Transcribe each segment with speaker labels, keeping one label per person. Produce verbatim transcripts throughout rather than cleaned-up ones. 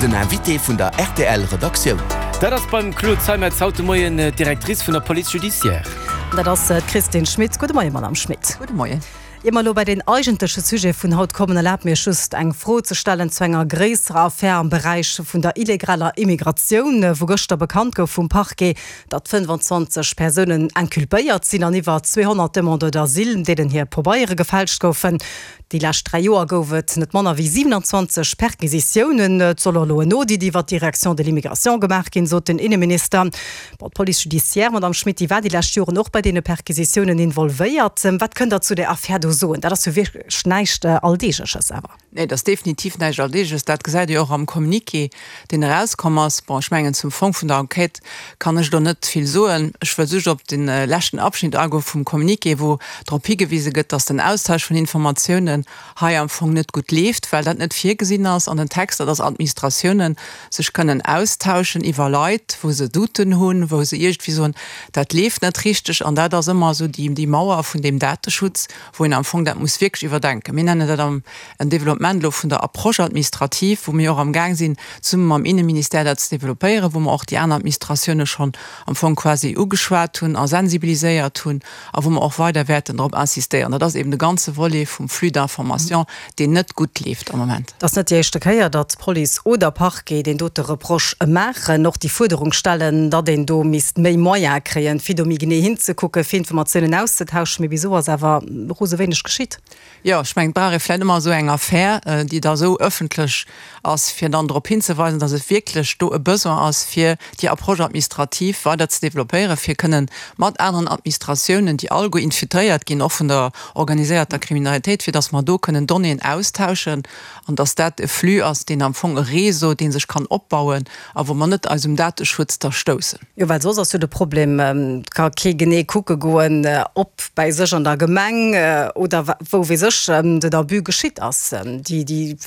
Speaker 1: Den Invité vun der R T L Redaktioun.
Speaker 2: Dat ass beim Claude Zeimetz haut de Moien d'Directrice vun der Police judiciaire.
Speaker 3: Dat ass d'Christine Schmit. Gudde Moien, Madame Schmit.
Speaker 4: Gudde Moien.
Speaker 3: Ier mer elo bei den eigentleche Sujet vun haut kommen, erlaabt mir just eng Fro ze stellen zu enger gréisserer Affär am Beräich vun der illegaler Immigratioun, wou gëschter bekannt gouf vum Parquet, datt fënnfanzwanzeg Persounen inculpéiert sinn an iwwer zweehonnert Demandeurs d'asile, deenen hir Pabeiere gefälscht goufen. Déi lescht dräi Joer gouf et net manner wéi siwenanzwanzeg Perquisitiounen. Et soll och elo en Audit iwwer d'Direction de l'immigration gemaach ginn, sot den Inneminister. Bon, d'Police judiciaire, Madame Schmit, déi war déi lescht Joren och bei deene Perquisitiounen involvéiert. Wat kënnt Der zu där Affär do soen? Dat ass jo wierklech näischt Alldeegleches awer.
Speaker 4: Nee, dat ass definitiv näischt Alldeegleches. Dat gesäit Dir och am Communiqué, deen erauskomm ass. Bon, ech mengen, zum Fong vun der Enquête kann ech do net vill soen. Ech wëll just op de leschten Abschnitt agoe vum Communiqué, wou drop higewise gëtt, dass den Austausch vun Informatiounen hei am Fong net gutt leeft, well dat net virgesinn ass an den Texter, dass Administratiounen sech kënnen austauschen iwwer Leit, wou se Douten hunn, wou se iergendwéi soen, dat leeft net richteg. An dat ass ëmmer esou déi, déi Mauer vun deem Dateschutz, wou een am Fong dat muss wierklech iwwerdenken. Mir nennen dat am en Développement elo vun der Approche administrative, wou mir och am Gaang sinn, zesumme mam Inneministère dat ze développéieren, wou mer och déi aner Administratioune schonn am Fong quasi ugeschwat hunn a sensibiliséiert hunn a wou mer och weider wäerten drop insistéieren. Dat ass eben de ganze Volet vum Flux d'information, deen net gutt leeft am Moment.
Speaker 3: Et ass net déi éischte Kéier, datt Police oder Parquet deen dote Reproche maachen, och déi Fuerderung stellen, datt een do misst méi Moyene kréien, fir do méi genee hinzekucken, fir Informatiounen auszetauschen. Mee bis elo ass awer rose wéineg geschitt.
Speaker 4: Jo, ech mengen, et brauch ee vläicht ëmmer esou eng Affär, déi da esou ëffentlech ass, fir dann drop hinzeweisen, datt et wierklech do e Besoin ass, fir déi Approche administrative weider ze développéieren, fir kënnen mat aneren Administratiounen, déi alleguer infiltréiert ginn, och vun der organiséierter Kriminalitéit, fir datt mer do kënnen Donnéeën austauschen an datt dat e Flux ass, deen am Fong e Réseau, dee sech kann opbauen a wou mer net eis um Dateschutz da stoussen.
Speaker 3: Jo, well soss ass jo de Problem, et ka kee genee kucke goen, ob bäi sech an der Gemeng oder wou weess ech den Abus geschitt ass. Déi, déi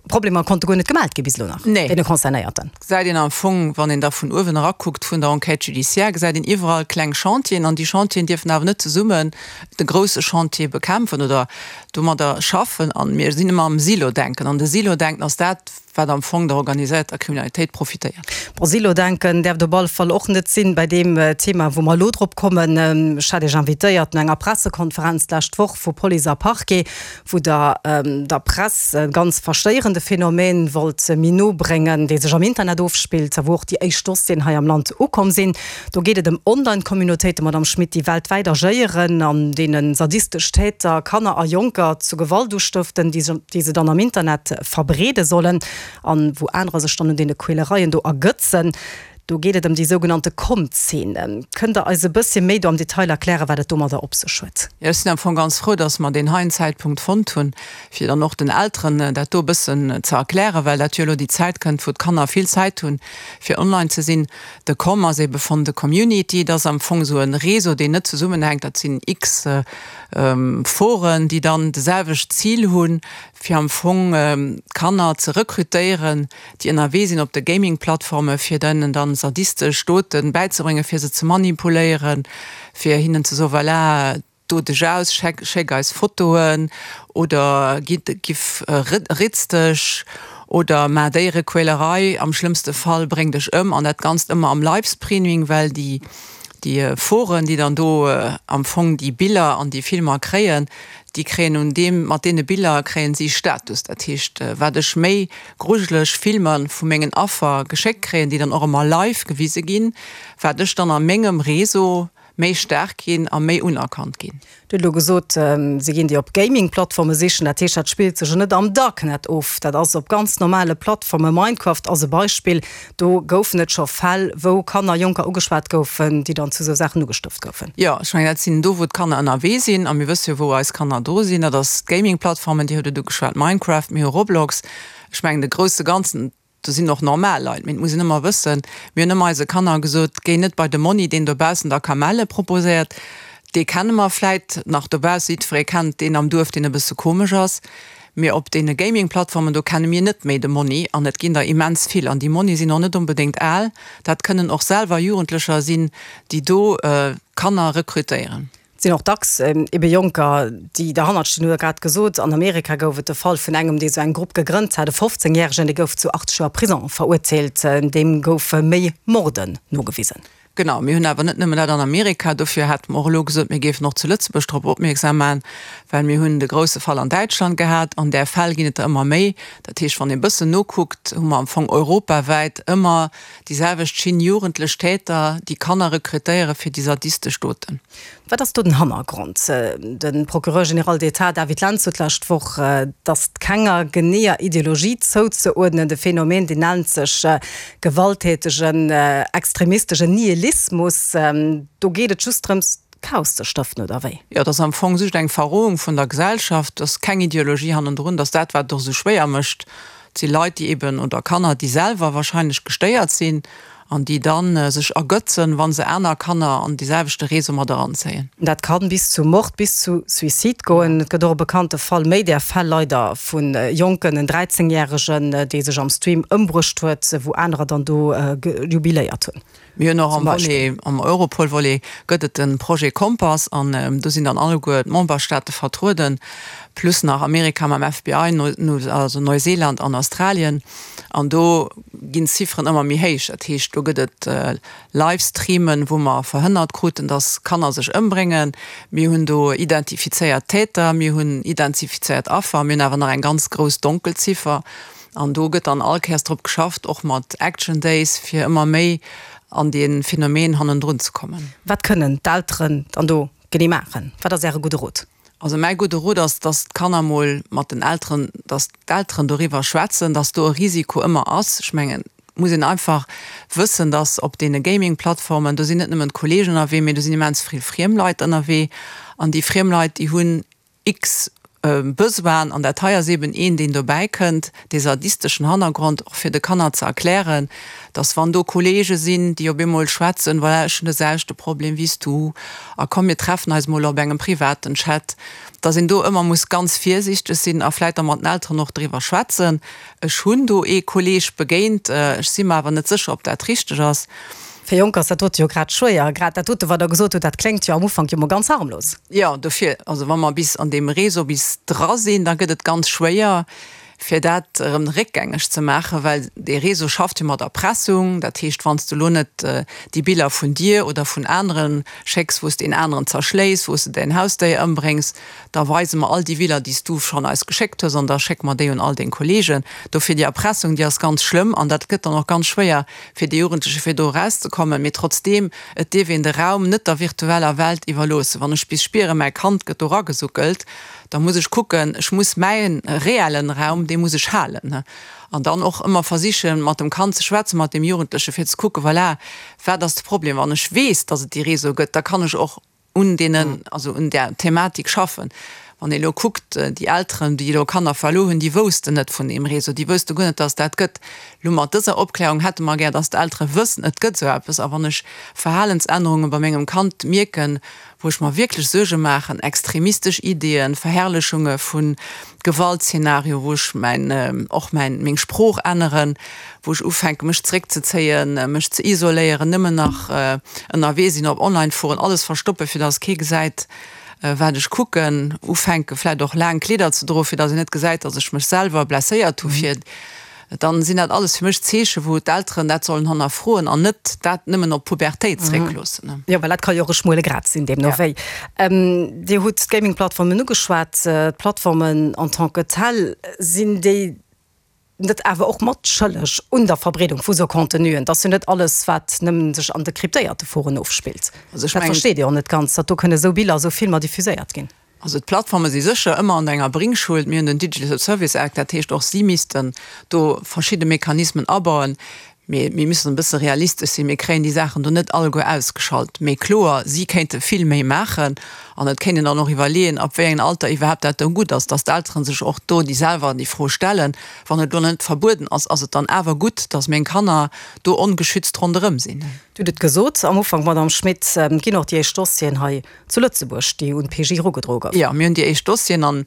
Speaker 3: Problemer konnte guer net gemellt gi bis elo nach,
Speaker 4: Nee.
Speaker 3: deene Concernéierten.
Speaker 4: Gesäit een am Fong, wann een da vun uewen erakuckt vun der Enquête judiciaire, gesäit een iwwerall kleng Chantieren an déi Chantieren dierfen awer net zesummen de grousse Chantier bekämpfen oder domadder schaffen. An mir sinn ëmmer am Silo-Denken an de Silo-Denken ass dat, wat am Fong der organiséierter Kriminalitéit profitéiert.
Speaker 3: Bon, Silo-Denken däerft op alle Fall och net sinn bei deem Thema, wou mer elo drop kommen. Ech hat Iech invitéiert no enger Pressekonferenz d'lescht Woch vu Police a Parquet, wou Der der Press e ganz verstéierende Phänomen wollt méi no bréngen, dee sech am Internet ofspillt a wou och déi éischt Dossieren hei am Land ukomm sinn. Do geet et ëm Online-Communautéiten, Madame Schmit, déi weltwäit agéieren, an deene sadistesch Täter Kanner a Jonker zu Gewalt ustëften, déi se dann am Internet verbreede sollen an wou anerer sech dann un deene Quälereien do ergëtzen. Do geet et ëm déi sougenannte Com-Zeen. Kënnt Der eis e bësschen méi do am Detail erklären, wat et domadder op sech huet?
Speaker 4: Jo, ech sinn am Fong ganz frou, dass mer deen heien Zäitpunkt fonnt hunn, fir dann och den Elteren dat do e bëssen ze erklären, well dat jo elo déi Zäit kënnt, wou d'Kanner vill Zäit hunn, fir online ze sinn. De Com ass ebe vun de Community, dat ass am Fong esou e Réseau, deen net zesummenhänkt. Dat sinn x Foren, déi dann de selwecht Zil hunn, fir am Fong Kanner ze rekrutéieren, déi ënnerwee sinn op de Gaming-Plattforme fir dennen dann sadistesch Doten bäizebréngen, fir se ze manipuléieren, fir hinnen ze soen, voilà, do dech aus, schéck, schéck eis Fotoen oder gitt, giff, ritz dech oder maach Déierequälerei, am schlëmmste Fall bréng dech ëm, an dat Ganzt ëmmer am Livestreaming, well déi, déi Foren, déi dann do am Fong déi Biller an déi Filmer kréien, déi kréien un deem, mat deene Biller kréien si Status. Dat heescht, wat ech méi grujeleg Filmer vu mengen Affer geschéckt kréien, déi dann och ëmmer live gewise ginn, wat ech dann a mengem Réseau méi staark ginn a méi unerkannt ginn.
Speaker 3: Dir hutt elo gesot, se ginn déi op Gaming-Plattforme sichen. Dat heescht, dat spillt sech jo net am Darknet of, dat ass op ganz normale Plattformen. Minecraft ass e Beispill, do goufen et scho Fäll, wou Kanner, Jonker ugeschwat goufen, déi dann zu esou Saachen ugestëft goufen.
Speaker 4: Jo, ech mengen, dat sinn do, wou d'Kanner ënnerwee sinn. A mir wësse jo, wou eis Kanner do sinn. Dat ass d'Gaming-Plattformen, Dir hutt et ugeschwat, Minecraft, mir hu Roblox. Ech mengen, de grousse Ganzen, do sinn och normal Leit, mee et muss een ëmmer wëssen, mir hunn ëmmer eise Kanner gesot, géi net bei de Monni, deen dobaussen der Kamelle proposéiert, dee kenne mer vläit nach dobausse, jiddweree kennt deen am Duerf, deen e bësse komesch ass, mee op deene Gaming-Plattformen, do kenne mir net méi de Monni an et ginn der immens vill an déi Monni sinn och net onbedéngt al, dat kënnen och selwer Jugendlecher sinn, déi do Kanner rekrutéieren.
Speaker 3: Et sinn och dacks ebe Jonker, déi derhannert stinn, hutt Der grad gesot. An Amerika gouf et de Fall vun engem, dee sou eng Grupp gegrënnt hat, e fofzéngjäregen, dee gouf zu achtzeg Joer Prisong verurteelt. Deem goufe méi Morden nogewisen.
Speaker 4: Genau, mir hunn awer net nëmmen dat an Amerika. Dofir hate mer och elo gesot, mir géifen och zu Lëtzebuerg drop opmierksam maachen, well mir hunn de grouse Fall an Däitschland gehat. An där Fäll ginn et der ëmmer méi. Dat heescht, wann ee bëssen nokuckt, hu mer am Fong europawäit ëmmer déi selwecht Schinn, jugendlech Täter, déi Kanner rekrutéiere fir déi sadistesch Doten.
Speaker 3: Wat ass do den Hannergrond? De Procureur général d'État David Lentz sot d'lescht Woch, datt kenger geneeër Ideologie zouzeuerdnen. De Phänomen, deen nennt sech gewalttätegen extremistegen Nihilismus. Do geet et just drëms, Chaos ze stëften, oder wéi?
Speaker 4: Jo, et ass am Fong just eng Verrohung vun der Gesellschaft. Et ass keng Ideologie hannendrun. Et ass dat, wat et och esou schwéier mécht. Et si Leit, déi eben, oder Kanner, déi selwer wahrscheinlech gestéiert sinn an déi da sech ergötzen, wa se aner Kanner an dee selwechte Réseau mat eranzéien.
Speaker 3: Dat kann bis zu Mord, bis zu Suicide goen. Et gëtt och e bekannte Fall, méi där Fäll leider, vu Jonken, en dräizengjäregen, dee sech am Stream ëmbruecht huet, wou anerer dann do jubiléiert hunn.
Speaker 4: Mir hunn och am Volet, am Europol-Volet gëtt et de Projet Kompass an do sinn dann alleguer d'Memberstaate vertrueden, plus nach Amerika mam F B I, also Neuseeland an Australien. An do ginn d'Zifferen ëmmer méi héich. Dat heescht, do gëtt et Livestreamen, wou mer verhënnert kruten, datt Kanner sech ëmbréngen. Mir hunn do identifizéiert Täter, mir hunn identifizéiert Affer, mir hunn awer nach eng ganz grouss Donkelziffer. An do gëtt dann all Kéiers drop geschafft, och mat Action Days, fir ëmmer méi an dee Phänomen hannendrun ze kommen.
Speaker 3: Wat kënnen d'Elteren dann do genee maachen? Wat ass Äre gudde Rot?
Speaker 4: Also mäi gudde Rot ass, dass d'Kanner mol mat den Elteren, dass d'Elteren doriwwer schwätzen, dass do e Risiko ëmmer ass. Ech mengen, et muss een einfach wëssen, dass op deene Gaming-Plattformen, do sinn net nëmmen d'Kollegen ënnerwee, mee do sinn immens vill friem Leit ënnerwee. An déi friem Leit, déi hunn x Besoinen, an dat hei ass eben een, deen dobäi kënnt, dee sadisteschen Hannergrond, och fir de Kanner ze erklären, dass wann do Kollege sinn, déi op eemol schwätzen, voilà, ech hunn de selwechte Problem wéi s du a komm mir treffen eis mol op engem privaten Chat, dass een do ëmmer muss ganz virsiichteg sinn a vläicht da mat den Elteren och driwwer schwätzen, ech hunn do ee Kolleg begéint, ech si mer awer net sécher, ob dat richteg ass.
Speaker 3: Fir Jonker ass dat dote jo grad schwéier. Grad dat dote, wat Der gesot hutt, dat kléngt jo am Ufank jo mol ganz harmlos.
Speaker 4: Jo, dofir, also wa mer bis an deem Réseau bis dra sinn, da gëtt et ganz schwéier, fir dat erëm réckgängeg ze maachen, well dee Réseau schafft jo mat Erpressung. Dat heescht, wann s de elo net déi Biller vun dir oder vun anere schécks, wou s de een aneren zerschléis, wou s de däin Hausdéier ëmbréngs, da weise mer all déi Biller, déi s du schonn eis geschéckt hues an da schécke mer déi un all deng Kollegen. Dofir déi Erpressung, déi ass ganz schlëmm an dat gëtt dann och ganz schwéier fir déi Jugendleche fir do erauszekommen. Mee trotzdeem, et dierf een de Raum net der virtueller Welt iwwerloossen. Wann ech bis spieren, mäi Kand gëtt do eragesuckelt, da muss ech kucken, ech muss mäi reellen Raum, dee muss ech halen. An dann och ëmmer versichen, mat dem Kand ze schwätzen, mat deem Jugendleche fir ze kucken, voilà, wat ass de Problem. Wann ech weess, datt et déi Réseaue gëtt, da kann ech och un deenen, also un där Thematik schaffen. Wann ee elo kuckt, déi Elteren, déi elo Kanner verluer hunn, déi woussten net vun deem Réseau, déi wousste guer net, datt et dat gëtt. Elo mat dëser Opklärung hätte mer gär, datt d'Eltere wëssen, et gëtt esou eppes. A wann ech Verhalensännerunge bei mengem Kand mierken, wou ech mer wierklech Suerge maachen, extremistesch Ideeën, Verherrlechunge vu Gewaltszenario, wou ech mäin, och mäin, meng Sprooch änneren, wou ech ufänke mech zréckzezéien, mech ze isoléieren, nëmmen nach ënnerwee sinn op Online-Foren, alles verstoppen, fir datt kee gesäit, wat ech kucken, ufänke vläicht och laang Kleeder ze droen, fir datt een net gesäit, datt ech mech selwer blesséiert hu fir, dann sinn dat alles fir mech Zeechen, wou d'Elteren dat sollen hannerfroen an net dat nëmmen op d'Pubertéit zréckloossen.
Speaker 3: Jo, well dat ka jo och e schmuele Grat sinn, deemno wéi. Dir hutt d'Gaming-Plattformen ugeschwat. D'Plattformen en tant que telles, sinn déi net awer och mat schëlleg un der Verbreedung vu sou Contenuen? Et ass jo net alles, wat nëmmen sech an de kryptéierte Foren ofspillt.
Speaker 4: Also ech
Speaker 3: Dat
Speaker 4: mengen.
Speaker 3: versteet Dir och net ganz, datt do kënne sou Biller, sou Filmer diffuséiert ginn.
Speaker 4: Also d'Plattforme si sécher ëmmer an enger Bringschuld. Mir hunn den Digital Service Act, dat heescht och si missten do verschidde Mechanismen abauen. Mee mir müssen e bësse realistesch sinn, mir kréien déi Saachen do net alleguer ausgeschalt. Mee kloer, si kéinte vill méi maachen an et kéint een dann och iwwerleeën, ab wéi engem Alter iwwerhaapt dat do gutt ass, dass d'Eltere sech och do déi selwer déi Fro stellen, Wann et elo net verbueden ass, ass et dann awer gutt, dass meng Kanner do ongeschützt ronderëm sinn?
Speaker 3: Dir hutt et gesot am Ufank, Madamm Schmit, et ginn och déi éischt Dossieren hei zu Lëtzebuerg, déi un d'P J erugedroe goufen.
Speaker 4: Jo, mir hunn déi éischt Dossieren an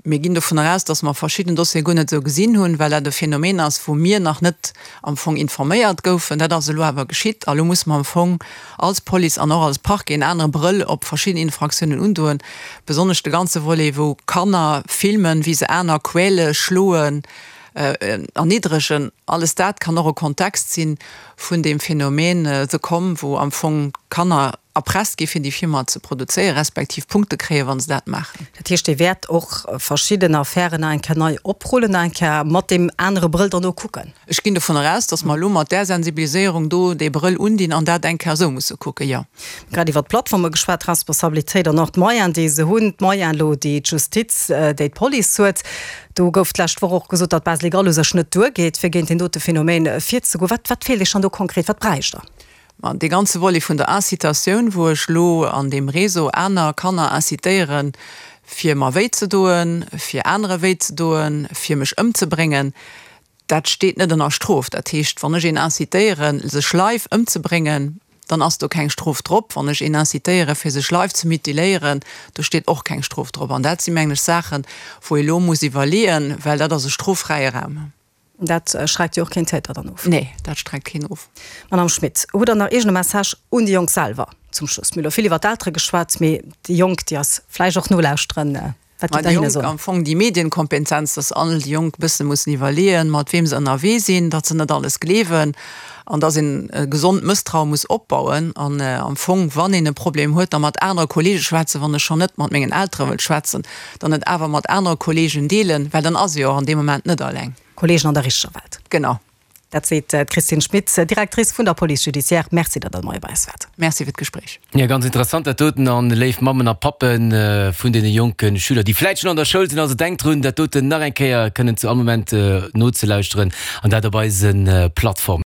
Speaker 4: Mir ginn dovunner aus, dass mer verschidden Dossiere guer net esou gesinn hunn, well dat e Phänomen ass, wou mir nach net am Fong informéiert goufen. Dat ass elo awer geschitt a lo musse mer am Fong als Police an och als Parquet en anere Brëll op verschidden Infraktiounen undoen, besonnesch de ganze Volet, wou Kanner filmen, wéi se aner quäle, schloen, erniddregen. Alles dat kann och e Kontext si vun deem Phänomen The Com, wou am Fong Kanner erpresst gi fir déi Filmer ze produzéieren, respektiv Punkte kréien, wa se dat maachen.
Speaker 3: Dat heescht, Dir wäert och verschidden Affären nach eng Kéier nei oprullen, nach eng Kéier mat deem anere Brëll dann do kucken?
Speaker 4: Ech ginn dovunner aus, datt mer elo mat där Sensibiliséierung do dee Brëll undinn an dat eng Kéier esou musse kucken, jo.
Speaker 3: Mir hu grad iwwert d'Plattforme geschwat, d'Responsabilitéit an och d'Moyenen, déi se hunn, d'Moyenen elo, déi d'Justiz, déi d'Police huet. Do gouf d'lescht Woch och gesot, datt d'Base légale u sech net duergeet, fir géint deen dote Phänomen virzegoen. Wat, wat feelt Iech dann do konkret? Wat bräicht Der?
Speaker 4: Ma dee ganze Volet vun der Incitatioun, wou ech elo an deem Réseau aner Kanner incitéieren, fir mer wéi ze doen, fir anere wéi ze doen, fir mech ëmzebréngen, dat steet net ënner Strof. Dat heescht, wann ech een incitéieren, sech live ëmzebréngen, dann ass do keng Strof drop. Wann ech een incitéieren, fir sech live ze mutiléieren, do steet och keng Strof drop. An dat si mengen ech Saachen, wou ee lo muss iwwerleeën, well dat ass e stroffräie Raum.
Speaker 3: Dat schreckt jo och keen Täter dann of.
Speaker 4: Nee, dat schreckt keen of.
Speaker 3: Madame Schmit, hutt Der nach iergend e Message un déi Jonk selwer zum Schluss? Mir hu lo vill iwwer d'Eltere geschwat, mee déi Jonk, déi eis vläicht och nolauschteren, wat gitt Der hinne soen?
Speaker 4: Am Fong déi Medienkompetenz, dass all déi Jonk bësse mussen iwwerleeën, mat weem se ënnerwee sinn, datt se net alles gleewen an datt een e gesond Mësstraue muss opbauen an am Fong, wann een e Problem huet, da mat anere Kollege schwätzen, wann ech schonn net mat mengen Eltere wëll schwätzen, dann et awer mat anere Kollegen deelen, well dann ass ee jo och an deem Moment net alleng.
Speaker 3: Kollegen an der richteger Welt.
Speaker 4: Genau.
Speaker 3: Dat seet d'Christine Schmit, Directrice vun der Police judiciaire. Merci, datt Der de Moie bei eis waart.
Speaker 4: Merci fir d'Gespréich.
Speaker 2: Jo, ganz interessant dat doten. An léif Mammen a Pappen vun deene jonke Schüler, déi vläit schonn an der Schoul sinn, also denkt drun, dat doten nach eng Kéier kënnen zu all Moment nozelauschteren an dat op eise Plattformen.